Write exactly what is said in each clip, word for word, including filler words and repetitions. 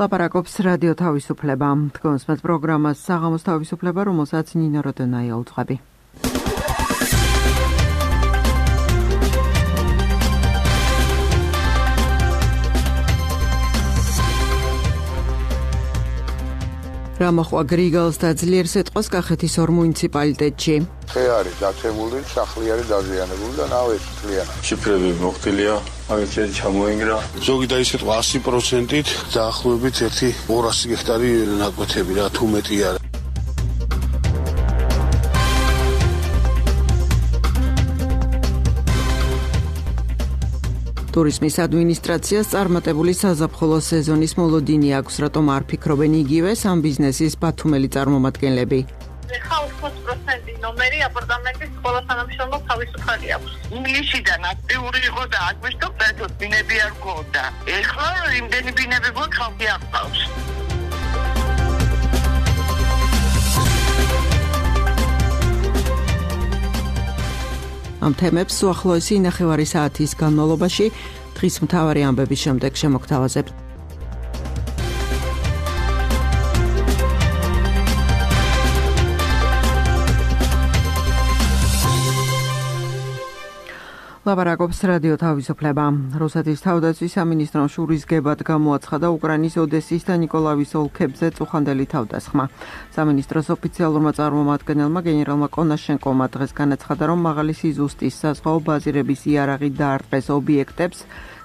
ლაპარაკობს რადიო თავისუფლება. თქვენს მათ პროგრამას საღამოს თავისუფლება, რომელსაც ნინო როდონაია უძღვები. რა მოხვა გრიგალს და ძლიერ სიტყვას კახეთის ორ მუნიციპალიტეტში. ხე არის დაცემული, სახლი არის დაზიანებული და ნავი მთლიანად. შიფრები მოხდილია, აგრეთვე ჩამოინგრა. ზოგი და ისეთვა ასი პროცენტით დაახლოებით ერთი ორასი გექტარი ნაკვეთები რა თუ მეტი არა. ტურიზმის ადმინისტრაციას წარმატებული საზაფხულო სეზონის მოლოდინი აქვს, რატომ არ ფიქრობენ იგივე ამ ბიზნესის ბათუმელი წარმომადგენლები. ხა ოცდაოთხ პროცენტი ნომერი აპარტამენტის ყველა თანამშრომელს თავისუფალი აქვს. ინგლისიდან აქტიური იყო და აგვისტო პერთოდ ბინები არ გქონდა. ეხლა იმდენი ბინები გვაქვს, ხალხი აღწავს. ამ თემებს უახლოესი ნახევარი საათის განმავლობაში დღის მთავარი ამბების შემდეგ შემოგთავაზებთ. ლაპარაკობს რადიო თავისუფლება. რუსეთის თავდაცვის სამინისტრომ შურისგებად გამოაცხადა უკრაინის ოდესის და ნიკოლაევის ოლქებზე წუხანდელი თავდასხმა. სამინისტროს ოფიციალურმა წარმომადგენელმა გენერალმა კონაშენკოვმა დღეს განაცხადა, რომ მაღალი სიზუსტის საზღვაო ბაზირების იარაღი დაარტყეს ობიექტებს,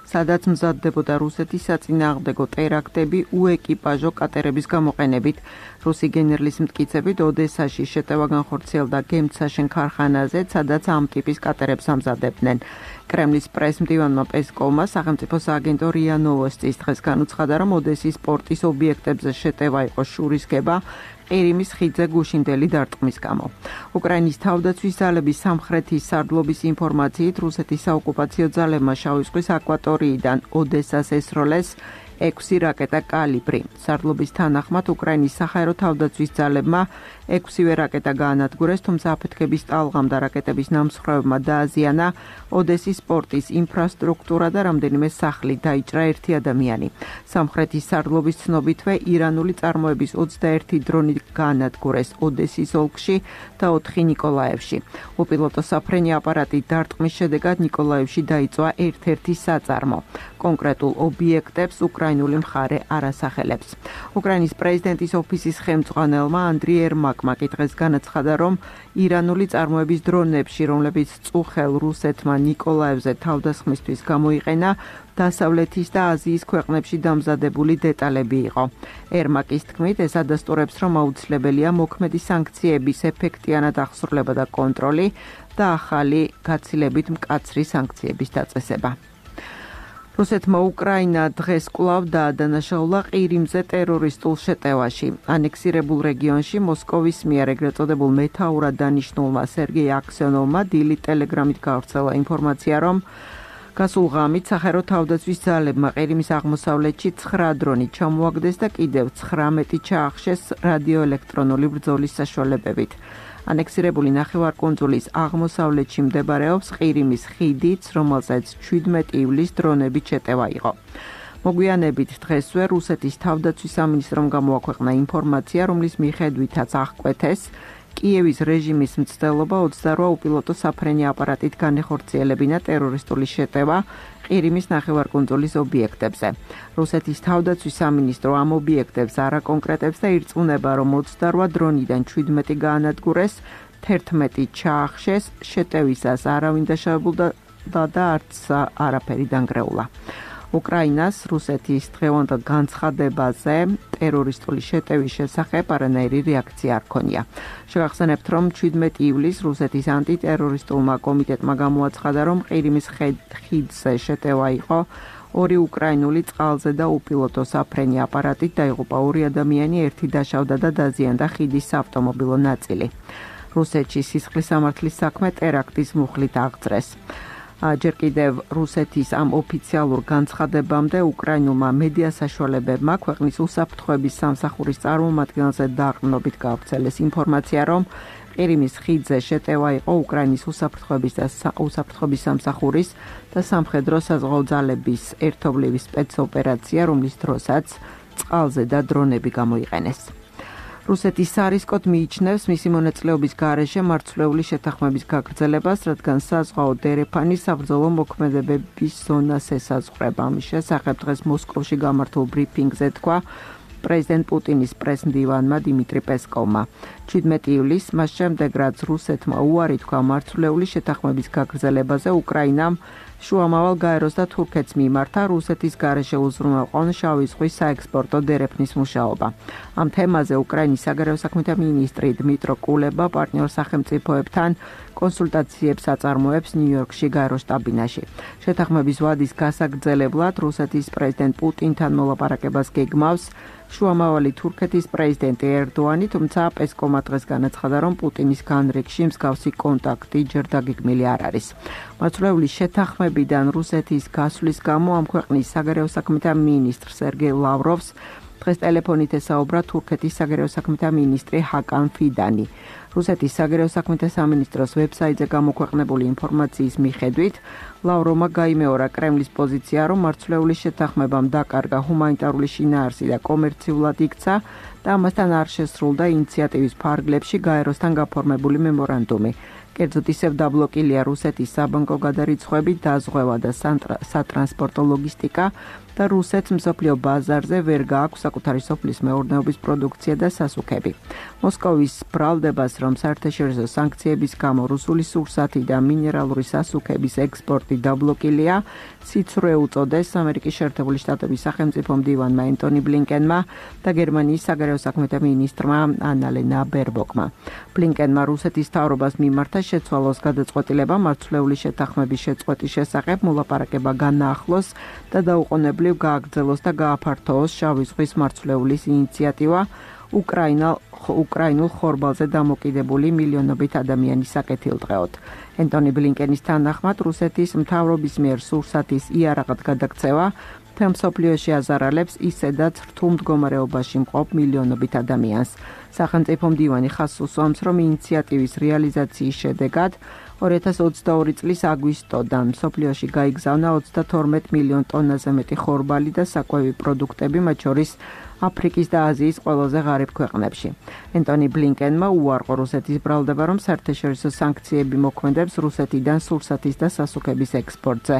სადაც მზადდებოდა რუსეთის საწინააღმდეგო ტერაქტები უეკიპაჟო კატერების გამოყენებით. რუსი გენერლის მტკიცებით ოდესაში შეტევა განხორციელდა გემცაშენ ქარხანაზე, სადაც ამ ტიპის კატერებს ამზადებდნენ. კრემლის პრესმდივანმა პესკოვმა სახელმწიფო სააგენტო რია ნოვოსტის დღეს განუცხადა, რომ ოდესის პორტის ობიექტებზე შეტევა იყო შურისგება ყირიმის ხიდზე გუშინდელი დარტყმის გამო. უკრაინის თავდაცვის ძალების სამხრეთის სარდლობის ინფორმაციით, რუსეთის საოკუპაციო ძალებმა შავი ზღვის აკვატორიიდან ოდესას ესროლეს ექვსი რაკეტა კალიბრი. სარდლობის თანახმად უკრაინის საჰაერო თავდაცვის ძალებმა ექვსივე რაკეტა გაანადგურეს, თუმცა აფეთქების ტალღამ და რაკეტების ნამსხვრევებმა დააზიანა ოდესის პორტის ინფრასტრუქტურა და რამდენიმე სახლი, დაიჭრა ერთი ადამიანი. სამხრეთის სარდლობის ცნობითვე ირანული წარმოების ოცდაერთი დრონი გაანადგურეს ოდესის ოლქში და ოთხი ნიკოლაევში. უპილოტო საფრენი აპარატი დარტყმის შედეგად ნიკოლაევში დაიწვა ერთ-ერთი საწარმო. კონკრეტულ ობიექტებს უკრაინული მხარე არ ასახელებს. უკრაინის პრეზიდენტის ოფისის ხელმძღვანელმა ანდრი ერმაკმა დღეს განაცხადა, რომ ირანული წარმოების დრონებში, რომლებიც წუხელ რუსეთმა ნიკოლაევზე თავდასხმისთვის გამოიყენა, დასავლეთის და აზიის ქვეყნებში დამზადებული დეტალები იყო. ერმაკის თქმით, ეს ადასტურებს, რომ აუცილებელია მოქმედი სანქციების ეფექტიანად აღსრულება და კონტროლი და ახალი გაცილებით მკაცრი სანქციების დაწესება. რუსეთმა უკრაინა დღეს კვლავ დაადანაშაულა ყირიმზე ტერორისტულ შეტევაში. ანექსირებულ რეგიონში მოსკოვის მიერ ეგრეთ წოდებულ მეთაურად დანიშნულმა სერგეი აქსიონოვმა დილი ტელეგრამით გავრცელა ინფორმაცია, რომ გასულ ღამით საჰაერო თავდაცვის ძალებმა ყირიმის აღმოსავლეთში ცხრა დრონი ჩამოაგდეს და კიდევ ცხრამეტი ჩაახშეს რადიოელექტრონული ბრძოლის საშუალებებით. ანექსირებული ნახევარკუნძულის აღმოსავლეთში მდებარეობს ყირიმის ხიდიც, რომელსაც შვიდმეტი ივლისს დრონებით შეტევა იყო. მოგვიანებით დღესვე რუსეთის თავდაცვის სამინისტრომ გამოაქვეყნა ინფორმაცია, რომლის მიხედვითაც აღკვეთეს კიევის რეჟიმის მცდელობა ოცდარვა უპილოტო საფრენი აპარატით განეხორციელებინა ტერორისტული შეტევა ყირიმის ნახევარკუნძულის ობიექტებზე. რუსეთის თავდაცვის სამინისტრო ამ ობიექტებს არ აკონკრეტებს და ირწმუნება, რომ ოცდარვა დრონიდან შვიდმეტი გაანადგურეს, თერთმეტი ჩაახშეს, შეტევისას არავინ დაშავებულდა და არც არაფერი დანგრეულა. უკრაინას რუსეთის დღევანდელ განცხადებაზე ტერორისტული შეტევის შესახებ არანაირი რეაქცია არ ქონია. შევახსენებთ, რომ შვიდმეტი ივლისს რუსეთის ანტიტერორისტულმა კომიტეტმა გამოაცხადა, რომ ყირიმის ხიდზე შეტევა იყო ორი უკრაინული წყალზე და უპილოტო საფრენი აპარატით დაიღუპა ორი ადამიანი, ერთი დაშავდა და დაზიანდა ხიდის საავტომობილო ნაწილი. რუსეთში სისხლის სამართლის საქმე ტერაქტის მუხლით აღძრეს. ჯერ კიდევ რუსეთის ამ ოფიციალურ განცხადებამდე უკრაინულმა მედია საშუალებებმა ქვეყნის უსაფრთხოების სამსახურის წარმომადგენელზე დაყრდნობით გავრცელეს ინფორმაცია, რომ ყირიმის ხიდზე შეტევა იყო უკრაინის უსაფრთხოების და უსაფრთხოების სამსახურის და სამხედრო საზღვაო ძალების ერთობლივი სპეცოპერაცია, რომლის დროსაც წყალზე და დრონები გამოიყენეს. რუსეთის სარისკოდ მიიჩნევს მისი მონაწილეობის გარეშე მარცვლეული შეთანხმების გაგრძელებას, რადგან საზღვაო დერეფანი საბრძოლო მოქმედებების ზონას ესაზღვრება. ამის შესახებ დღეს მოსკოვში გამართულ ბრიფინგზე თქვა პრეზიდენტ პუტინის პრესმდივანმა დიმიტრი პესკოვმა. ჩვიდმეტი ივლისს, მას შემდეგ რაც რუსეთმა უარი თქვა მარცვლეული შეთანხმების გაგრძელებაზე, უკრაინამ შუამავალ გაეროს და თურქეთს მიმართა რუსეთის გარეშე უზრუნველყონ შავი ზღვის საექსპორტო დერეფნის მუშაობა. ამ თემაზე უკრაინის საგარეო საქმეთა მინისტრი დმიტრო კულება პარტნიორ სახელმწიფოებთან კონსულტაციებს აწარმოებს ნიუ-იორკში გაეროს შტაბ-ბინაში. შეთანხმების ვადის გასაგრძელებლად რუსეთის პრეზიდენტ პუტინთან მოლაპარაკებას გეგმავს შუამავალი თურქეთის პრეზიდენტი ერდოანი, თუმცა პესკოვმა დღეს განაცხადა, რომ პუტინის განრიგში მსგავსი კონტაქტი ჯერ დაგეგმილი არ არის. მარცვლეული შეთანხმებიდან რუსეთის გასვლის გამო ამ ქვეყნის საგარეო საქმეთა მინისტრ სერგეი ლავროვს დღეს ტელეფონით ესაუბრა თურქეთის საგარეო საქმეთა მინისტრი ჰაკან ფიდანი. რუსეთის საგარეო საქმეთა სამინისტროს ვებსაიტზე გამოქვეყნებული ინფორმაციის მიხედვით, ლავროვმა გაიმეორა კრემლის პოზიცია, რომ მარცვლეული შეთანხმებამ დაკარგა ჰუმანიტარული შინაარსი და კომერციულად იქცა და ამასთან არ შესრულდა ინიციატივის ფარგლებში გაეროსთან გაფორმებული მემორანდუმი. კერძოდ ისევ დაბლოკილია რუსეთის საბანკო გადარიცხვები, დაზღვევა და სატრანსპორტო ლოგისტიკა და რუსეთს მსოფლიო ბაზარზე ვერ გააქვს საკუთარი სოფლის მეურნეობის პროდუქცია და სასუქები. მოსკოვის ბრალდებას, რომ საერთაშორისო სანქციების გამო რუსული სურსათი და მინერალური სასუქების ექსპორტი დაბლოკილია, სიცრუე უწოდეს ამერიკის შეერთებული შტატების სახელმწიფო მდივანმა ენტონი ბლინკენმა და გერმანიის საგარეო საქმეთა მინისტრმა ანალენა ბერბოკმა. ბლინკენმა რუსეთის მთავრობას მიმართა შეცვალოს გადაწყვეტილება მარცვლეული შეთანხმების შეწყვეტის შესახებ, მოლაპარაკება განაახლოს და დაუყოვნებლივ გააგრძელოს და გააფართოოს შავი ზღვის მარცვლეულის ინიციატივა უკრაინულ ხორბალზე დამოკიდებული მილიონობით ადამიანის საკეთილდღეოდ. ენტონი ბლინკენის თანახმად, რუსეთის მთავრობის მიერ სურსათის იარაღად გადაქცევა მთელ მსოფლიოში აზარალებს ისედაც რთულ მდგომარეობაში მყოფ მილიონობით ადამიანს. სახელმწიფო მდივანი ხაზს უსვამს, რომ ინიციატივის რეალიზაციის შედეგად ორი ათას ოცდაორი წლის აგვისტოდან მსოფლიოში გაიგზავნა ოცდათორმეტ მილიონ ტონაზე მეტი ხორბალი და საკვები პროდუქტები, მათ შორის აფრიკის და აზიის ყველაზე ღარიბ ქვეყნებში. ენტონი ბლინკენმა უარყო რუსეთის ბრალდება, რომ საერთაშორისო სანქციები მოქმედებს რუსეთიდან სურსათის და სასუქების ექსპორტზე.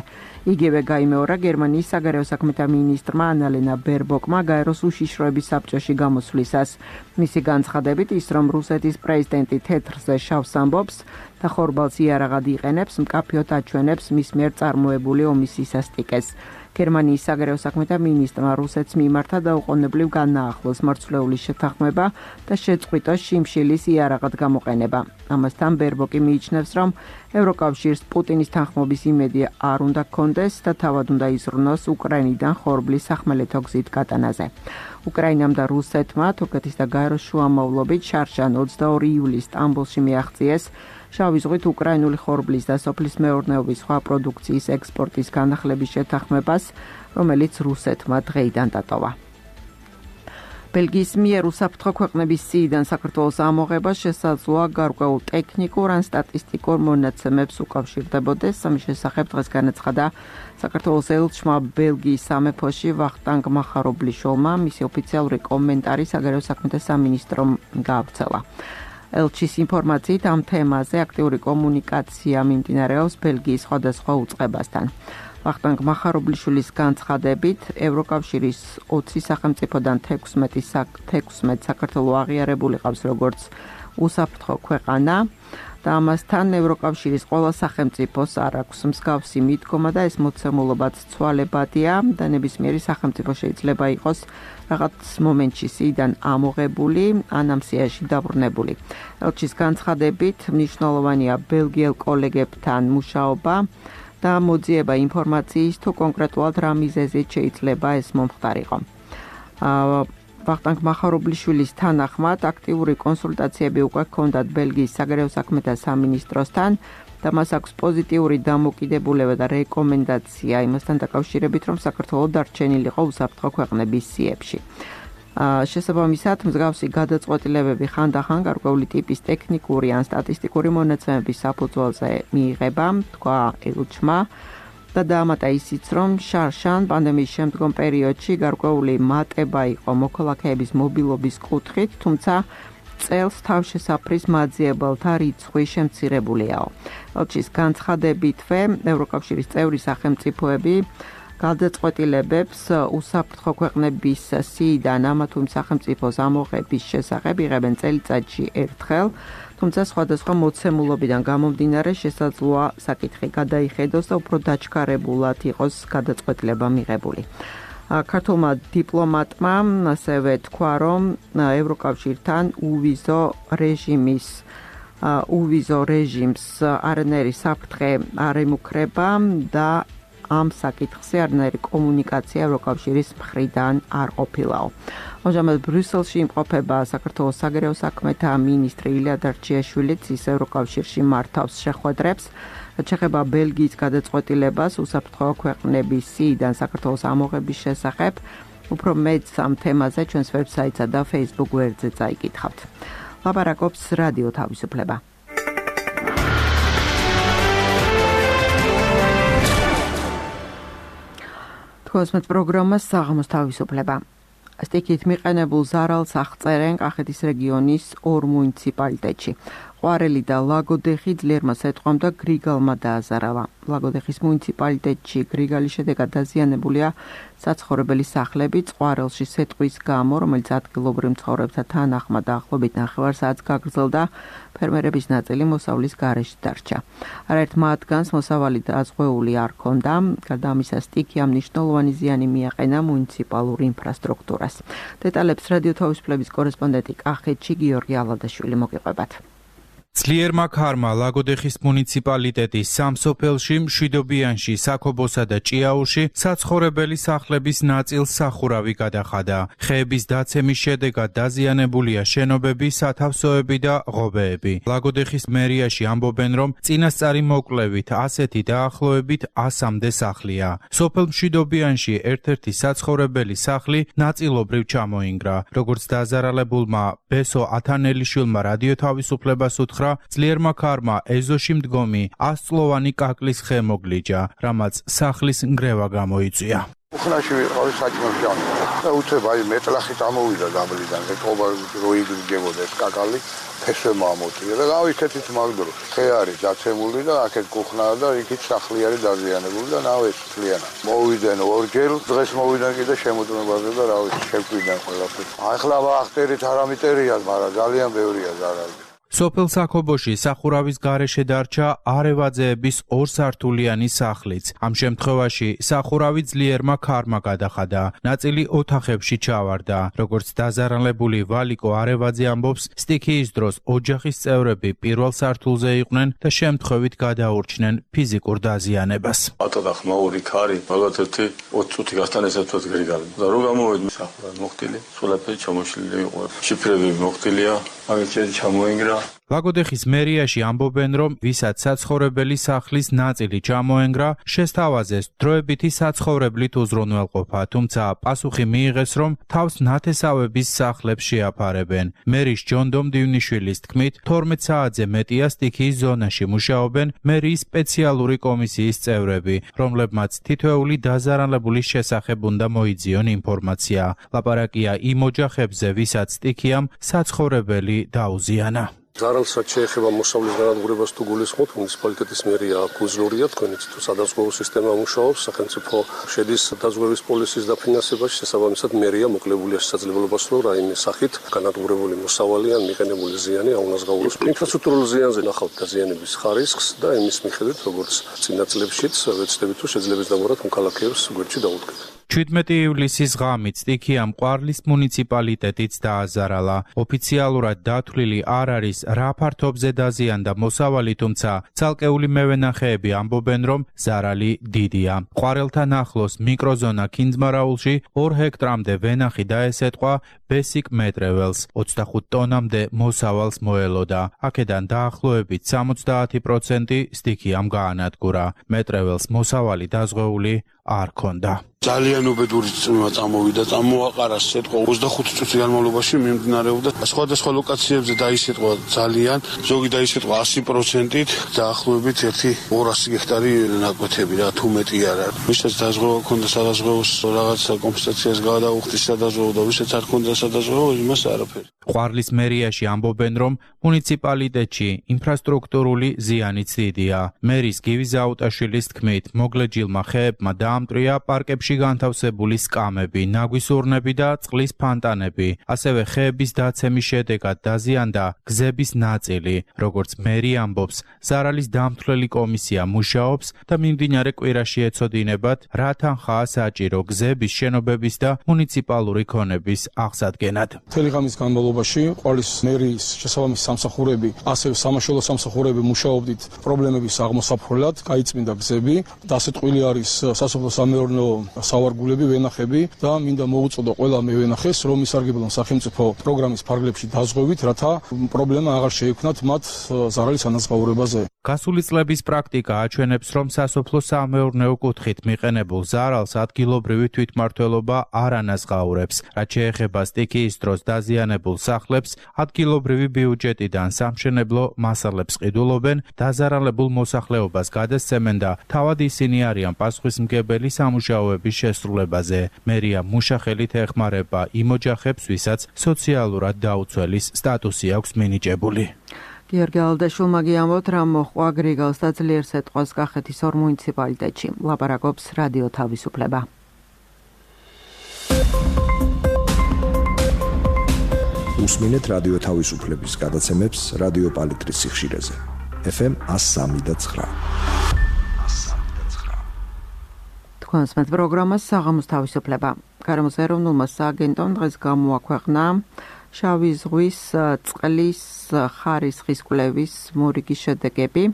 იგივე გაიმეორა გერმანიის საგარეო საქმეთა მინისტრმა ანალენა ბერბოკმა გაეროს უშიშროების საბჭოში გამოსვლისას. მისი განცხადებით ის, რომ რუსეთის პრეზიდენტი თეთრზე შავს ამბობს და ხორბალს იარაღად იყენებს, მკაფიოდ აჩვენებს მის მიერ წარმოებული ომის სისასტიკეს. გერმანიის საგარეო საქმეთა მინისტრმა რუსეთს მიმართა დაუყოვნებლივ განაახლოს მარცვლეული შეთანხმება და შეწყვიტოს შიმშილის იარაღად გამოყენება. ამასთან ბერბოკი მიიჩნევს, რომ ევროკავშირს პუტინის თანხმობის იმედი არ უნდა ჰქონდეს და თავად უნდა იზრუნოს უკრაინიდან ხორბლის სახმელეთო გზით გატანაზე. უკრაინამ და რუსეთმა თურქეთის და გაეროს შუამავლობით შარშან ოცდაორი ივლისს სტამბოლში მიაღწიეს შავი ზღვით უკრაინული ხორბლის და სოფლის მეურნეობის სხვა პროდუქციის ექსპორტის განახლების შეთანხმებას, რომელიც რუსეთმა დღეიდან დატოვა. ბელგიის მიერ უსაფრთხო ქვეყნების სიიდან საქართველოს ამოღება შესაძლოა გარკვეულ ტექნიკურ ან სტატისტიკურ მონაცემებს უკავშირდებოდეს. ამის შესახებ დღეს განაცხადა საქართველოს ელჩმა ბელგიის სამეფოში ვახტანგ მახარობლიშვილმა, მისი ოფიციალური კომენტარი საგარეო საქმეთა სამინისტრომ გაავრცელა. ელჩის ინფორმაციით ამ თემაზე აქტიური კომუნიკაცია მიმდინარეობს ბელგიის სხვადასხვა უწყებასთან. ვახტანგ მახარობლიშვილის განცხადებით, ევროკავშირის ოცი სახელმწიფოდან თექვსმეტი საქართველო აღიარებული ყავს როგორც უსაფრთხო ქვეყანა და ამასთან ევროკავშირის ყველა სახელმწიფოს არ აქვს მსგავსი მიდგომა და ეს მოცემულობაც ცვალებადია და ნებისმიერი სახელმწიფო შეიძლება იყოს რაღაც მომენტში სიიდან ამოღებული ან ამ სიაში დაბრუნებული. ელჩის განცხადებით, მნიშვნელოვანია ბელგიელ კოლეგებთან მუშაობა და მოძიება ინფორმაციის თუ კონკრეტულად რა მიზეზით შეიძლება ეს მომხდარიყო. ვახტანგ მახარობლიშვილის თანახმად აქტიური კონსულტაციები უკვე ჰქონდათ ბელგიის საგარეო საქმეთა სამინისტროსთან და მას აქვს პოზიტიური დამოკიდებულება და რეკომენდაცია იმასთან დაკავშირებით, რომ საქართველო დარჩენილიყო უსაფრთხო ქვეყნების სიებში. შესაბამისად, მსგავსი გადაწყვეტილებები ხანდახან გარკვეული ტიპის ტექნიკური ან სტატისტიკური მონაცემების საფუძველზე მიიღება, თქვა ელჩმა. და დაამატა ისიც, რომ შარშან პანდემიის შემდგომ პერიოდში გარკვეული მატება იყო მოქალაქეების მობილობის კუთხით, თუმცა წელს თავშესაფრის მაძიებელთა რიცხვი შემცირებულიაო. ელჩის განცხადებითვე ევროკავშირის წევრი სახელმწიფოები გადაწყვეტილებებს უსაფრთხო ქვეყნების სიიდან ამა თუ იმ სახელმწიფოს ამოღების შესახებ იღებენ წელიწადში ერთხელ, თუმცა სხვადასხვა მოცემულობიდან გამომდინარე შესაძლოა საკითხი გადაიხედოს და უფრო დაჩქარებულად იყოს გადაწყვეტილება მიღებული. ქართულმა დიპლომატმა ასევე თქვა, რომ ევროკავშირთან უვიზო რეჟიმის უვიზო რეჟიმს არანაირი საფრთხე არ ემუქრება და ამ საკითხზე არანაირი კომუნიკაცია ევროკავშირის მხრიდან არ ყოფილაო. ამჟამად ბრიუსელში იმყოფება საქართველოს საგარეო საქმეთა მინისტრი ილია დარჩიაშვილიც, ის ევროკავშირში მართავს შეხვედრებს. ჩეხება ბელგიის გადაწყვეტილებას უსაფრთხო ქვეყნების სიიდან საქართველოს ამოღების შესახებ. უფრო მეტს ამ თემაზე ჩვენს ვებსაიტსა და Facebook გვერდზე წაიკითხავთ. ლაპარაკობს რადიო თავისუფლება. თქოსმეთ პროგრამას საღამოს თავისუფლება. სტიქით მიყენებულ ზარალს აღწერენ კახეთის რეგიონის ორ მუნიციპალიტეტში. ყვარელი და ლაგოდეხი ძლიერმა სეტყვამ და გრიგალმა დააზარალა. ლაგოდეხის მუნიციპალიტეტში გრიგალის შედეგად დაზიანებულია საცხოვრებელი სახლები. ყვარელში სეტყვის გამო, რომელიც ადგილობრივ მცხოვრებთა თანახმად დაახლოებით ნახევარ საათს გაგრძელდა, ფერმერების ნაწილი მოსავლის გარეშე დარჩა. არაერთ მათგანს მოსავალი დაზღვეული არ ჰქონდა. გარდა ამისა, სტიქიამ მნიშვნელოვანი ზიანი მიაყენა მუნიციპალურ ინფრასტრუქტურას. დეტალებს რადიო თავისუფლების კორესპონდენტი კახეთში გიორგი ალადაშვილი მოგიყვებათ. ძლიერმა ქარმა ლაგოდეხის მუნიციპალიტეტის სამ სოფელში, მშვიდობიანში, საქობოსა და ჭიაურში საცხოვრებელი სახლების ნაწილს სახურავი გადახადა. ხეების დაცემის შედეგად დაზიანებულია შენობები, სათავსოები და ღობეები. ლაგოდეხის მერიაში ამბობენ, რომ წინასწარი მოკვლევით ასეთი დაახლოებით ასამდე სახლია. სოფელ მშვიდობიანში ერთ-ერთი საცხოვრებელი სახლი ნაწილობრივ ჩამოინგრა. როგორც დაზარალებულმა ბესო ათანელიშვილმა რადიო თავისუფლებას უთხრა, ძლიერმა ქარმა ეზოში მდგომი ასწლოვანი კაკლის ხე მოგლიჯა, რამაც სახლის ნგრევა გამოიწვია. უხნაში ვიყავი საჭმელში და უცებ აი მეტლახი წამოვიდა დაბლიდან, ეკობა როიგებოდა ეს კაკალი, ფესვე მომოტია და გავიქეთით მაგდრო. ხე არის დაცემული და აქეთ კუხნაა და იქით სახლი არის დაზიანებული და ნავ ეს ფლიანა. მოვიდნენ ორჯერ, დღეს მოვიდნენ კიდე შემოწმებაზე და რა ვიცი, შეგვიდნენ ყველაფერი. ახლა ვახტერით არამიტერია, მაგრამ ძალიან ბევრია ზარალი. სოფელ საქობოში სახურავის გარეშე დარჩა არევაძეების ორსართულიანი სახლიც. ამ შემთხვევაში სახურავი ძლიერმა ქარმა გადახადა, ნაწილი ოთახებში ჩავარდა. როგორც დაზარალებული ვალიკო არევაძე ამბობს, სტიქიის დროს ოჯახის წევრები პირველ სართულზე იყვნენ და შემთხვევით გადაურჩნენ ფიზიკურ დაზიანებას. ატოდა ხმაური ქარი, ალბათ ერთი ოცი წუთი გასტანესებთ გრიგალი. და რო გამოვედი სახურავი მოხდილი, სულაფერი ჩამოშლილი იყო. შიფრები მოხდილია, მაგით შედი ჩამოინგრა. ლაგოდეხის მერიაში ამბობენ, რომ ვისაც საცხოვრებელი სახლის ნაწილი ჩამოენგრა, შესთავაზეს დროებითი საცხოვრებლით უზრუნველყოფა, თუმცა პასუხი მიიღეს, რომ თავს ნათესავების სახლებს შეაფარებენ. მერის ჯონდო მდივნიშვილის თქმით, თორმეტ საათზე მეტია სტიქიის ზონაში მუშაობენ მერიის სპეციალური კომისიის წევრები, რომლებმაც თითოეული დაზარალებულის შესახებ უნდა მოიძიონ ინფორმაცია. ლაპარაკია იმ ოჯახებზე, ვისაც სტიქიამ საცხოვრებელი დაუზიანა. ზარალსაც შეეხება მოსავლის განადგურებას თუ გულისხმობთ, მუნიციპალიტეტის მერია გუძლურია, თქვენიც თუ სადაზღვევო სისტემა მუშაობს, სახელმწიფო შედის დაზღვევის პოლიციის დაფინანსებაში, შესაბამისად მერია მოკლებულია შესაძლებლობას, რომ რაიმე სახით განადგურებული მოსავალი ან მიყენებული ზიანი აუნაზღაუროს. ინფრასტრუქტურულ ზიანზე ნახავთ დაზიანების ხარისხს და იმის მიხედვით, როგორც წინა წლებშიც ვეცდებით, თუ შეძლებს დამორად მოქალაქეებს გვერდში დაუდგეთ. შვიდმეტი ივლისის ღამით სტიქიამ ყვარლის მუნიციპალიტეტიც დააზარალა. ოფიციალურად დათვლილი არ არის რა ფართობზე დაზიანდა მოსავალი, თუმცა ცალკეული მევენახეები ამბობენ, რომ ზარალი დიდია. ყვარელთან ახლოს მიკროზონა ქინძმარაულში ორ ჰექტრამდე ვენახი დაესეტყვა ბესიკ მეტრეველს, ოცდახუთ ტონამდე მოსავალს მოელოდა. აქედან დაახლოებით სამოცდაათი პროცენტი სტიქიამ გაანადგურა. მეტრეველს მოსავალი დაზღვეული არ ჰქონდა. ძალიან უბედური წვიმა წამოვიდა, წამოაყარა სიტყვა ოცდახუთი წუთის განმავლობაში მიმდინარეობდა სხვადასხვა ლოკაციებზე დაისიტყვა ძალიან, ზოგი დაისიტყვა ასი პროცენტით, დაახლოებით ერთი ორასი გექტარი ნაკვეთები რა, თუ მეტი არა. ვისაც დაზღვევა ქონდა სადაზღვევოს რაღაცა კომპენსაციას გადაუხდის სადაზღვეო და ვისაც არ ქონდა სადაზღვეო, იმას არაფერი. ყვარლის მერიაში ამბობენ, რომ მუნიციპალიტეტში ინფრასტრუქტურული ზიანიც დიდია. მერის გივი ზაუტაშვილის თქმით, მოგლეჯილმა ხეებმა დაამტრია პარკებში განთავსებული სკამები, ნაგვის ურნები და წყლის ფანტანები. ასევე ხეების დაცემის შედეგად დაზიანდა გზების ნაწილი. როგორც მერი ამბობს, ზარალის დამთვლელი კომისია მუშაობს და მიმდინარე კვირაში ეცოდინებათ, რა თანხაა საჭირო გზების შენობების და მუნიციპალური ქონების აღსადგენად. მთელი ღამის განმავლობაში ყვარლის მერის შესაბამისი სამსახურები, ასევე სამაშველო სამსახურები მუშაობდით პრობლემების აღმოსაფრთხილად, გაიწმინდა გზები, დასეტყვილი არის სასოფლო-სამეურნეო სავარგულები, ვენახები და მინდა მოუწოდო ყველა მევენახეს, რომ ისარგებლონ სახელმწიფო პროგრამის ფარგლებში დაზღვევით, რათა პრობლემა აღარ შეექმნათ მათ ზარალის ანაზღაურებაზე. გასული წლების პრაქტიკა აჩვენებს, რომ სასოფლო-სამეურნეო კუთხით მიყენებულ ზარალს ადგილობრივი თვითმმართველობა არ ანაზღაურებს. რაც შეეხება სტიქიის დროს დაზიანებულ სახლებს, ადგილობრივი ბიუჯეტიდან სამშენებლო მასალებს ყიდულობენ, დაზარალებულ მოსახლეობას გადასცემენ და თავად ისინი არიან პასუხისმგებელი სამუშაოების შესრულებაზე. მერია მუშახელით ეხმარება იმ ოჯახებს, ვისაც სოციალურად დაუცველის სტატუსი აქვს მინიჭებული. გიორგი ალდაშვილმა გიამბობთ, რა მოხდა გრიგალს და ძლიერ სიტყვას კახეთის ორ მუნიციპალიტეტში. ლაპარაკობს რადიო თავისუფლება. უსმინეთ რადიო თავისუფლების გადაცემებს რადიო პალიტრის სიხშირეზე. ეფ ემ one oh three point nine. თქვენს მეტ პროგრამას საღამოს თავისუფლება. გარემოს ეროვნულმა სააგენტომ დღეს გამოაქვეყნა შავი ზღვის წყლის ხარისხის კვლევის მორიგი შედეგები.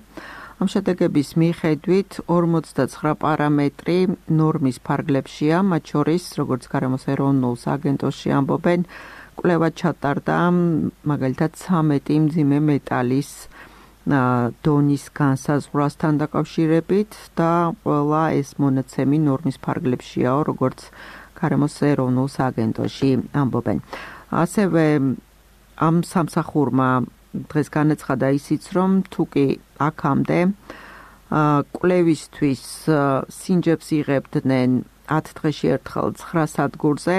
ამ შედეგების მიხედვით ორმოცდაცხრა პარამეტრი ნორმის ფარგლებშია, მათ შორის, როგორც გარემოს ეროვნულ სააგენტოში ამბობენ, კვლევა ჩატარდა მაგალითად ცამეტი მძიმე მეტალის დონის განსაზღვრასთან დაკავშირებით და ყველა ეს მონაცემი ნორმის ფარგლებშიაო, როგორც გარემოს ეროვნულ სააგენტოში ამბობენ. ასევე ამ სამსახურმა დღეს განაცხადა ისიც, რომ თუ კი აქამდე კვლევისთვის სინჯებს იღებდნენ ათ დღეში ერთხელ ცხრა სადგურზე,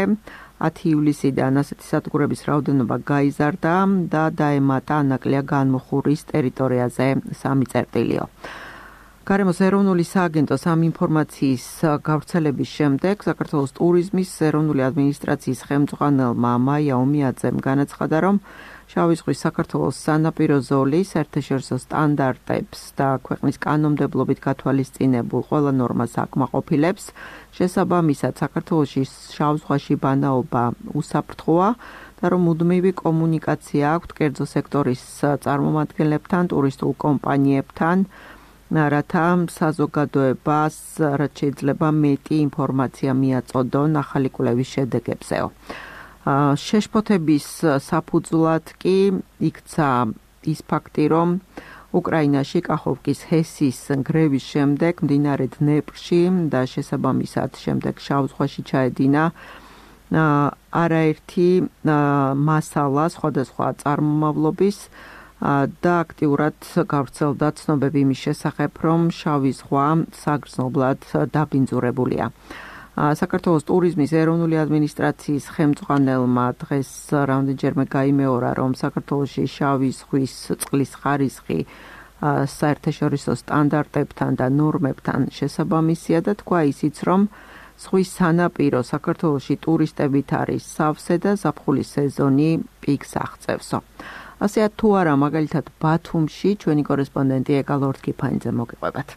ათი ივლისიდან ასეთი სადგურების რაოდენობა გაიზარდა და დაემატა ანაკლია განმუხურის ტერიტორიაზე სამი წერტილიო. გარემოს ეროვნული სააგენტოს ამ ინფორმაციის გავრცელების შემდეგ საქართველოს ტურიზმის ეროვნული ადმინისტრაციის ხელმძღვანელმა მაია ომიაძემ განაცხადა, რომ შავი ზღვის საქართველოს სანაპირო ზოლის საერთაშორისო სტანდარტებს და ქვეყნის კანონმდებლობით გათვალისწინებულ ყველა ნორმას აკმაყოფილებს. შესაბამისად, საქართველოში შავ ზღვაში ბანაობა უსაფრთხოა და რომ მუდმივი კომუნიკაცია აქვთ კერძო სექტორის წარმომადგენლებთან, ტურისტულ კომპანიებთან, რათა საზოგადოებას რაც შეიძლება მეტი ინფორმაცია მიაწოდონ ახალი კვლევის შედეგებზეო. შეშფოთების საფუძვლად კი იქცა ის ფაქტი, რომ უკრაინაში კახოვკის ჰესის გრევის შემდეგ მდინარე დნეპრში და შესაბამისად შემდეგ შავ ზღვაში ჩაედინა არაერთი მასალა სხვადასხვა წარმომავლობის და აქტიურად გავრცელდა ცნობები იმის შესახებ, რომ შავი ზღვა საგრძნობლად დაბინძურებულია. საქართველოს ტურიზმის ეროვნული ადმინისტრაციის ხელმძღვანელმა დღეს რამდენჯერმე გაიმეორა, რომ საქართველოში შავი ზღვის წყლის ხარისხი საერთაშორისო სტანდარტებთან და ნორმებთან შესაბამისია და თქვა ისიც, რომ ზღვის სანაპირო საქართველოში ტურისტებით არის სავსე და ზაფხულის სეზონი პიკს აღწევსო. ასეა თუ არა, მაგალითად ბათუმში ჩვენი კორესპონდენტი ეკალორთ კიფანიძე მოგიყვებათ.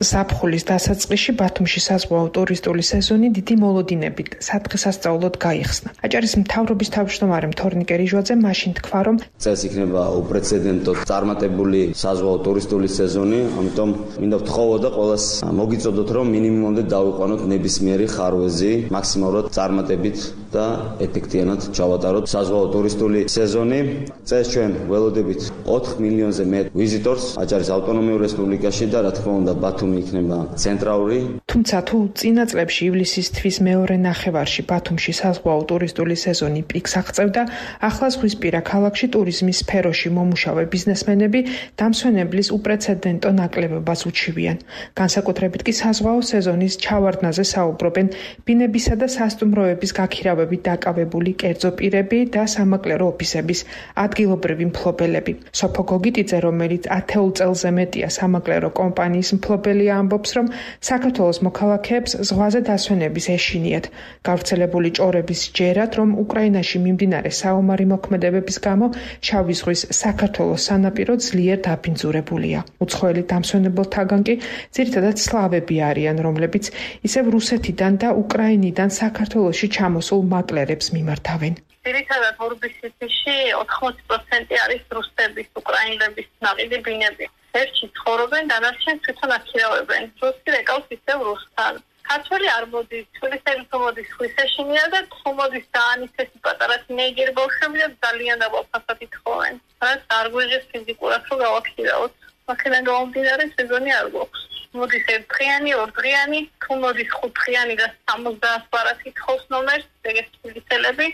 ზაფხულის დასაწყისში ბათუმში საზღვაო ტურისტული სეზონი დიდი მოლოდინებით სადღესასწაულოდ გაიხსნა. აჭარის მთავრობის თავმჯდომარე თორნიკე რიჟვაძე მაშინ თქვა, რომ წელს იქნება უპრეცედენტო წარმატებული საზღვაო ტურისტული სეზონი, ამიტომ მინდა ვთხოვო და ყველას მოგიწოდოთ, რომ მინიმუმამდე დავიყვანოთ ნებისმიერი ხარვეზი, მაქსიმალურად წარმატებით და ეფექტიანად ჩავატაროთ საზღვაო ტურისტული სეზონი. წელს ჩვენ ველოდებით ოთხ მილიონზე მეტ ვიზიტორს აჭარის ავტონომიურ რესპუბლიკაში და რა თქმა უნდა ბათუმი იქნება ცენტრალური. თუმცა თუ წინა წლებში ივლისის თვის მეორე ნახევარში ბათუმში საზღვაო ტურისტული სეზონი პიკს აღწევდა, ახლა ზღვისპირა ქალაქში ტურიზმის სფეროში მომუშავე ბიზნესმენები დამსვენებლის უპრეცედენტო ნაკლებობას უჩივიან. განსაკუთრებით კი საზღვაო სეზონის ჩავარდნაზე საუბრობენ ბინებისა და სასტუმროების გაქირავებით დაკავებული კერძო პირები და სამაკლერო ოფისების ადგილობრივი მფლობელები. სოფო გოგიტიძე, რომელიც ათეულ წელზე მეტია სამაკლერო კომპანიის მფლობელია, ამბობს, რომ საქართველოს მოქალაქეებს ზღვაზე დასვენების ეშინიათ. გავრცელებული ჭორების ჯერად, რომ უკრაინაში მიმდინარე საომარი მოქმედებების გამო შავი ზღვის საქართველოს სანაპირო ძლიერ დაბინძურებულია. უცხოელი დამსვენებელთაგან კი ძირითადად სლავები არიან, რომლებიც ისევ რუსეთიდან და უკრაინიდან საქართველოში ჩამოსულ მაკლერებს მიმართავენ. ძირითადად ორბისითში ოთხმოცი პროცენტი არის რუსების, უკრაინელების ნაყიდი ბინები. ერთში ცხოვრობენ, დანარჩენს თვითონ აქირავებენ. რუსი რეკავს ისევ რუსთან. ქართველი არ მოდის, თბილისელი თუ მოდის ხვის ეშინია და თუ მოდის დაანისესი პატარა თინეიჯერი ბავშვები და ძალიან დაბალფასად ითხოვენ. რაც არ გვეღეს ფიზიკურად რომ გავაქირავოთ. აქედან გამომდინარე სეზონი არ გვაქვს. მოდის ერთდღიანი, ორდღიანი, თუ მოდის ხუთდღიანი და სამოცდაათ ბარათი ითხოვს ნომერს, ეგეც თბილისელები.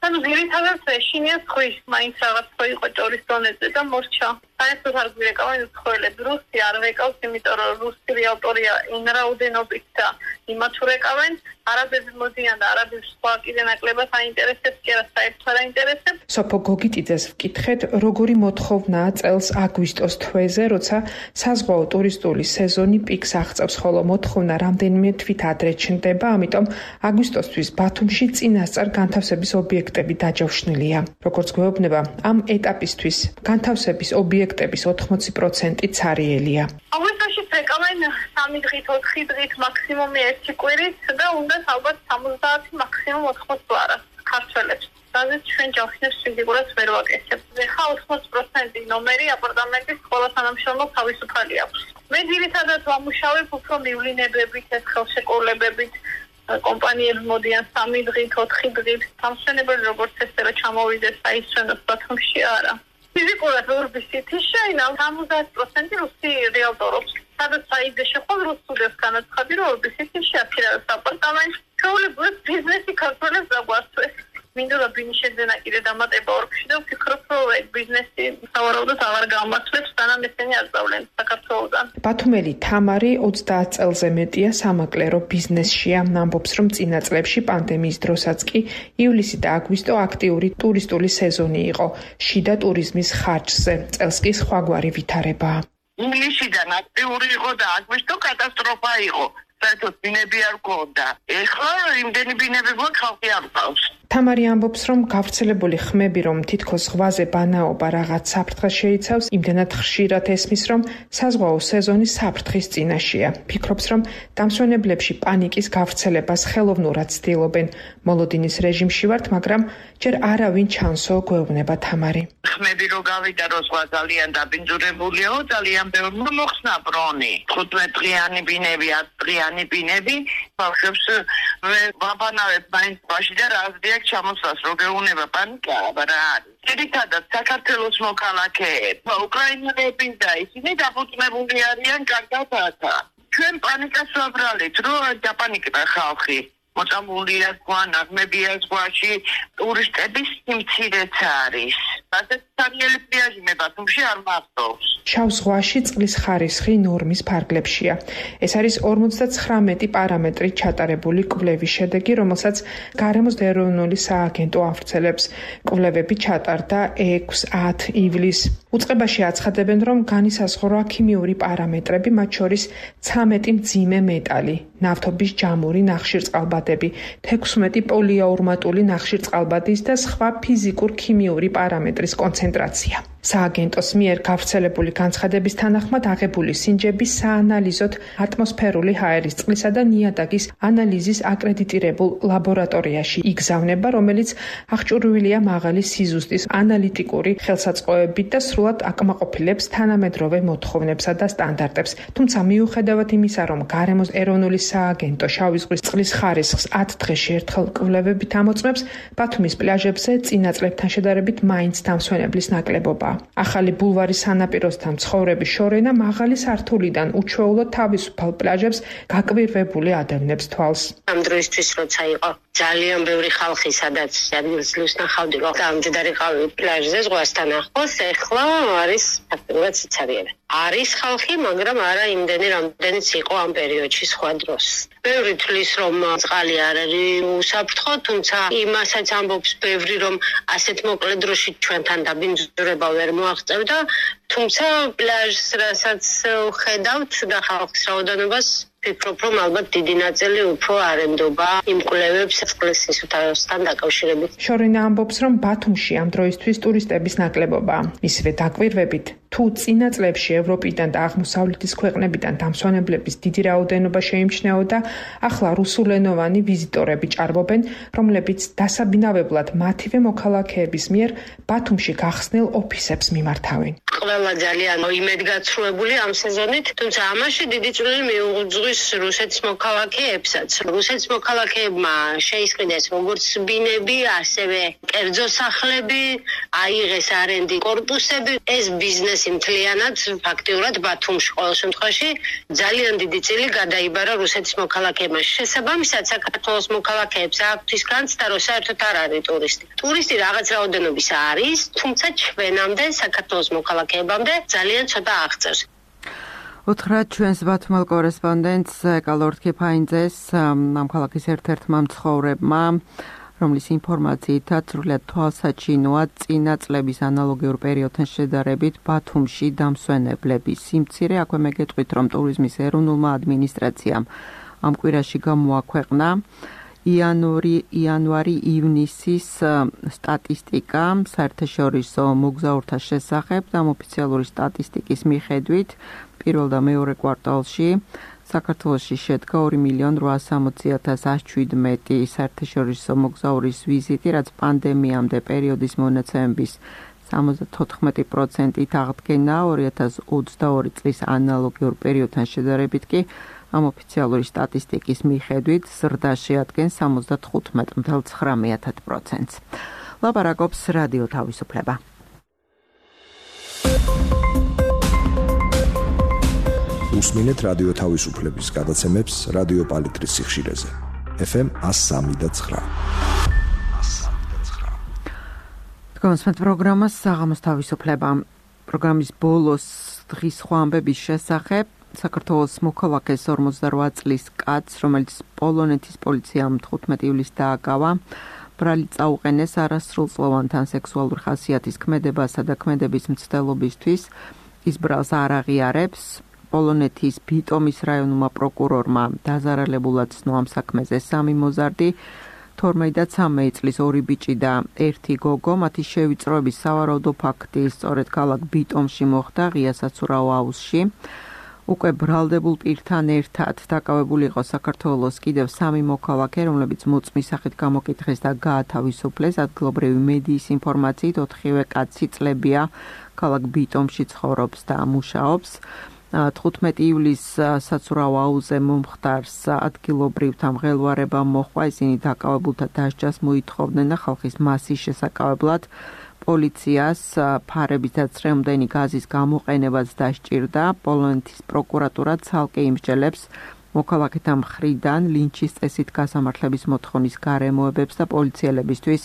ანუ ძირითადად ეშინია ხვის, მაინც რაღაც ხო იყო ჭორის დონეზე და მორჩა. საერთოდ არ გვირეკავენ უცხოელები, რუსი არ ვეკავს, იმიტომ რომ რუსი რეალტორია იმ რაოდენობით და იმათ ვეკავენ, არაბები მოდიან და არაბებს სხვა კიდე ნაკლებად აინტერესებს, კი არა საერთოდ არ აინტერესებს. სოფო გოგიტიძეს ვკითხეთ, როგორი მოთხოვნაა წელს აგვისტოს თვეზე, როცა საზღვაო ტურისტული სეზონი პიკს აღწევს, ხოლო მოთხოვნა რამდენიმე თვით ადრე ჩნდება, ამიტომ აგვისტოსთვის ბათუმში წინასწარ განთავსების ობიექტები დაჯავშნილია. როგორც გვეუბნება, ამ ეტაპისთვის განთავსების ობიექტების ოთხმოცი პროცენტი ცარიელია. აგვისტოში ეკავენ სამი დღით, ოთხი დღით, მაქსიმუმი ერთი კვირით და უნდა ალბათ სამოცდაათი მაქსიმუმ ოთხმოცი ბარათს ქართველებს. რაზეც ჩვენ ჯავშნებს ფიზიკურად ვერ ვაკეთებ. ეხლა ოთხმოცი პროცენტი ნომერი აპარტამენტის ყველა თანამშრომელს თავისუფალი აქვს. მე ძირითადად ვამუშავებ უფრო მივლინებებით, ეს ხელშეკრულებებით. კომპანიები მოდიან სამი დღით, ოთხი დღით. დამსვენებელი როგორც ესე რომ ჩამოვიდეს აისვენოს ბათუმში არა. ფიზიკურად ორბისითი შეინავ სამოცდაათი პროცენტი რუსი რეალტორობს. სადაც საიდე შეხვალ რუსულებს განაცხადი, რომ ორბისითში აქირავებს აპარტამენტს. ჩვეულებრივ ბიზნესი ქართველებს დაგვასწრეს. მინდა რომ ბინიშეძენა კიდე დამატება ორგში და ვფიქრობ, რომ ეგ ბიზნესი სავარაუდოდ აღარ გამართლებს, სანამ ესენი არ სწავლენ საქართველოდან. ბათუმელი თამარი ოცდაათ წელზე მეტია სამაკლერო ბიზნესშია. ამბობს, რომ წინა წლებში პანდემიის დროსაც კი ივლისი და აგვისტო აქტიური ტურისტული სეზონი იყო შიდა ტურიზმის ხარჯზე. წელს კი სხვაგვარი ვითარებაა. ივლისიდან აქტიური იყო და აგვისტო კატასტროფა იყო. საერთოდ ბინები არ გქონდა. ეხლა იმდენი ბინები გვაქვს, ხალხი არ ყავს. თამარი ამბობს, რომ გავრცელებული ხმები, რომ თითქოს ზღვაზე ბანაობა რაღაც საფრთხეს შეიცავს, იმდენად ხშირად ესმის, რომ საზღვაო სეზონი საფრთხის წინაშეა. ფიქრობს, რომ დამსვენებლებში პანიკის გავრცელებას ხელოვნურად ცდილობენ. მოლოდინის რეჟიმში ვართ, მაგრამ ჯერ არავინ ჩანსო, გვეუბნება თამარი. ხმები რო გავიდა, რომ ზღვა ძალიან დაბინძურებულია, ძალიან ბევრი მოხსნა ბრონი. თხუთმეტდღიანი ბინები, ათდღიანი ბინები, ბავშვებს ვაბანავებ მაინც ბაში და რაზდია ჩამოსვას რო გეუნება პანიკა, რა არის. ძირითადად საქართველოს მოქალაქეები, უკრაინელები და ისინი დაფუძნებული არიან კარგად ათა. ჩვენ პანიკას ვაბრალეთ, რომ დაპანიკდა ხალხი. მოწამულია ზღვა, ნაღმებია ზღვაში, ტურისტების სიმცირეც არის. ასეთ სერიალი პლიაჟი მე ბათუმში არ მახსოვს. შავ ზღვაში წყლის ხარისხი ნორმის ფარგლებშია. ეს არის ორმოცდაცხრამეტი პარამეტრით ჩატარებული კვლევის შედეგი, რომელსაც გარემოს ეროვნული სააგენტო ავრცელებს. კვლევები ჩატარდა ექვსი-ათ ივლისს. უწყებაში აცხადებენ, რომ განისაზღვრა ქიმიური პარამეტრები, მათ შორის ცამეტი მძიმე მეტალი, ნავთობის ჯამური ნახშირწყალბადები, თექვსმეტი პოლიაურმატული ნახშირწყალბადის და სხვა ფიზიკურ ქიმიური პარამეტრის კონცენტრაცია. სააგენტოს მიერ გავრცელებული განცხადების თანახმად აღებული სინჯები საანალიზოდ ატმოსფერული ჰაერის წყლისა და ნიადაგის ანალიზის აკრედიტირებულ ლაბორატორიაში იგზავნება, რომელიც აღჭურვილია მაღალი სიზუსტის ანალიტიკური ხელსაწყოებით და სრულად აკმაყოფილებს თანამედროვე მოთხოვნებსა და სტანდარტებს. თუმცა მიუხედავად იმისა, რომ გარემოს ეროვნული სააგენტო შავი ზღვის წყლის ხარისხს ათ დღეში ერთხელ კვლევებით ამოწმებს, ბათუმის პლაჟებზე წინა წლებთან შედარებით მაინც დამსვენებლის ნაკლებობაა. ახალი ბულვარის სანაპიროსთან მცხოვრები შორენა მაღალი სართულიდან უჩვეულოდ თავისუფალ პლაჟებს გაკვირვებული ადევნებს თვალს. ამ დროისთვის როცა იყო ძალიან ბევრი ხალხი, სადაც ადგილს ნახავდი, რომ დამჯდარიყავი პლაჟზე ზღვასთან ახლოს, ეხლა არის ფაქტობრივად სიცარიელე. არის ხალხი, მაგრამ არა იმდენი, რამდენიც იყო ამ პერიოდში სხვა დროს. ბევრი თვლის, რომ წყალი არ არის უსაფრთხო, თუმცა იმასაც ამბობს ბევრი, რომ ასეთ მოკლე დროში ჩვენთან დაბინძურება ვერ მოაღწევდა, თუმცა პლაჟს რასაც ხედავთ და ხალხის რაოდენობას ვფიქრობ, რომ ალბათ დიდი ნაწილი უფრო არენდობა იმკვლევებს წყლის სისუფთავესთან დაკავშირებით. შორენა ამბობს, რომ ბათუმში ამ დროისთვის ტურისტების ნაკლებობაა. მისივე დაკვირვებით, თუ წინა წლებში ევროპიდან და აღმოსავლეთის ქვეყნებიდან დამსვენებლების დიდი რაოდენობა შეიმჩნეოდა, ახლა რუსულენოვანი ვიზიტორები ჭარბობენ, რომლებიც დასაბინავებლად მათივე მოქალაქეების მიერ ბათუმში გახსნილ ოფისებს მიმართავენ. ყველა ძალიან იმედგაცრუებული ამ სეზონით, თუმცა ამაში დიდი წვლილი მიუძღვის რუსეთის მოქალაქეებსაც. რუსეთის მოქალაქეებმა შეისყიდეს როგორც ბინები, ასევე კერძო სახლები, აიღეს არენდი კორპუსები. ეს ბიზნესი მთლიანად ფაქტიურად ბათუმში ყოველ შემთხვევაში ძალიან დიდი წილი გადაიბარა რუსეთის მოქალაქეებმა. შესაბამისად, საქართველოს მოქალაქეებს აქვთ განცდა, რომ საერთოდ არ არის ტურისტი. ტურისტი რაღაც რაოდენობის არის, თუმცა ჩვენამდე საქართველოს მოქალაქეებამდე ძალიან ცოტა აღწევს. უთხრათ ჩვენს ბათუმელ კორესპონდენტს ეკალორდ ქიფაინძეს, ამ ქალაქის ერთ-ერთმა მცხოვრებმა, რომლის ინფორმაციითაც სრულიად თვალსაჩინოა წინა წლების ანალოგიურ პერიოდთან შედარებით ბათუმში დამსვენებლების სიმცირე. აქვე მეგეთყვით, რომ ტურიზმის ეროვნულმა ადმინისტრაციამ ამ კვირაში გამოაქვეყნა იანვარი იანვარი ივნისის სტატისტიკა საერთაშორისო მოგზაურთა შესახებ და ამ ოფიციალური სტატისტიკის მიხედვით პირველ და მეორე კვარტალში საქართველოში შედგა ორი მილიონი რვაასამოცი ათას ათს შვიდმეტი საერთაშორისო მოგზაურის ვიზიტი, რაც პანდემიამდე პერიოდის მონაცემების სამოცდათოთხმეტი პროცენტით აღდგენა. ორი ათას ოცდაორი წლის ანალოგიურ პერიოდთან შედარებით კი ამ ოფიციალური სტატისტიკის მიხედვით ზრდა შეადგენს სამოცდათხუთმეტი წამსვე ცხრამეტ პროცენტს. ლაპარაკობს რადიო თავისუფლება. უსმინეთ რადიო თავისუფლების გადაცემებს რადიო პალიტრის სიხშირეზე. ეფ ემ ას სამი და ცხრა. თქვენს პროგრამას საღამოს თავისუფლება. პროგრამის ბოლოს დღის სხვა ამბების შესახებ საქართველოს მოქალაქეს ორმოცდარვა წლის კაცს, რომელიც პოლონეთის პოლიციამ თხუთმეტი ივლისს დააკავა, ბრალი წაუყენეს არასრულწლოვანთან სექსუალური ხასიათის ქმედებასა და ქმედების მცდელობისთვის. ის ბრალს არ აღიარებს. პოლონეთის ბიტომის რაიონულმა პროკურორმა დაზარალებულად ცნო ამ საქმეზე სამი მოზარდი, თორმეტი და ცამეტი წლის ორი ბიჭი და ერთი გოგო. მათი შევიწროების სავარაუდო ფაქტი სწორედ ქალაქ ბიტომში მოხდა, ღია საცურაო აუზში. უკვე ბრალდებულ პირთან ერთად დაკავებული იყო საქართველოს კიდევ სამი მოქალაქე, რომლებიც მოწმის სახით გამოკითხეს და გაათავისუფლეს. ადგილობრივი მედიის ინფორმაციით ოთხივე კაცი წლებია, ქალაქ ბიტომში ცხოვრობს და მუშაობს. თხუთმეტი ივლისს საცურაო აუზზე მომხდარს ადგილობრივთა მღელვარება მოჰყვა. ისინი დაკავებულთა დასჯას მოითხოვდნენ და ხალხის მასის შესაკავებლად პოლიციას ფარების და წრემდენი გაზის გამოყენებას დასჭირდა. პოლონეთის პროკურატურა ცალკე იმსჯელებს მოქალაქეთა მხრიდან ლინჩის წესით გასამართლების მოთხოვნის გარემოებებს და პოლიციელებისთვის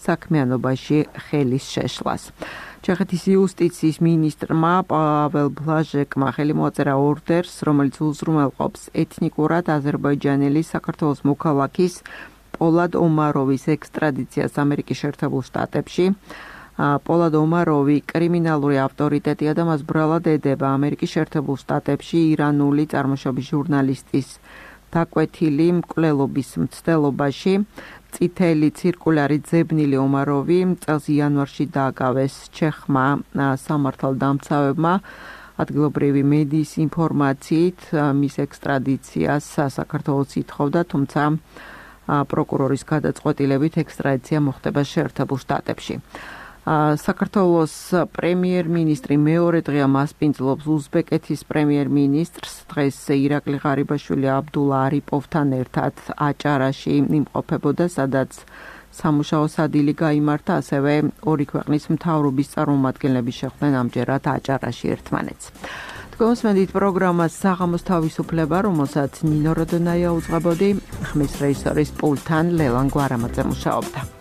საქმიანობაში ხელის შეშლას. ჩეხეთის იუსტიციის მინისტრმა პაվել ბლაჟეკმა ხელი მოაწერა ორდერს, რომელიც უზრუნველყოფს ეთნიკურად აზერბაიჯანელი საქართველოს მოქალაქის პოლად ომაროვის ექსტრადიციას ამერიკის შეერთებულ შტატებში. პოლად ომაროვი კრიმინალური ავტორიტეტია და მას ბრალად ედება ამერიკის შეერთებულ შტატებში ირანული წარმოშობის ჟურნალისტის დაკვეთილი მკვლელობის მცდელობაში. წითელი ცირკულარი ძებნილი ომაროვი წელს იანვარში დააკავეს ჩეხმა სამართალდამცავებმა. ადგილობრივი მედიის ინფორმაციით მის ექსტრადიციას საქართველოს ითხოვდა, თუმცა პროკურორის გადაწყვეტილებით ექსტრადიცია მოხდება შეერთებულ შტატებში. საქართველოს პრემიერ-მინისტრი მეორე დღეა მასპინძლობს უზბეკეთის პრემიერ-მინისტრს. დღეს ირაკლი ღარიბაშვილი აბდულა არიპოვთან ერთად აჭარაში იმყოფებოდა, სადაც სამუშაო სადილი გაიმართა, ასევე ორი ქვეყნის მთავრობის წარმომადგენლები შეხვდნენ ამჯერად აჭარაში ერთმანეთს. Თქვენს პროგრამას საღამოს თავისუფლება, რომელსაც ნინო როდონაია უძღვებოდი, ხმის რეჟისორის პულტთან ლელან გვარამაძე მუშაობდა.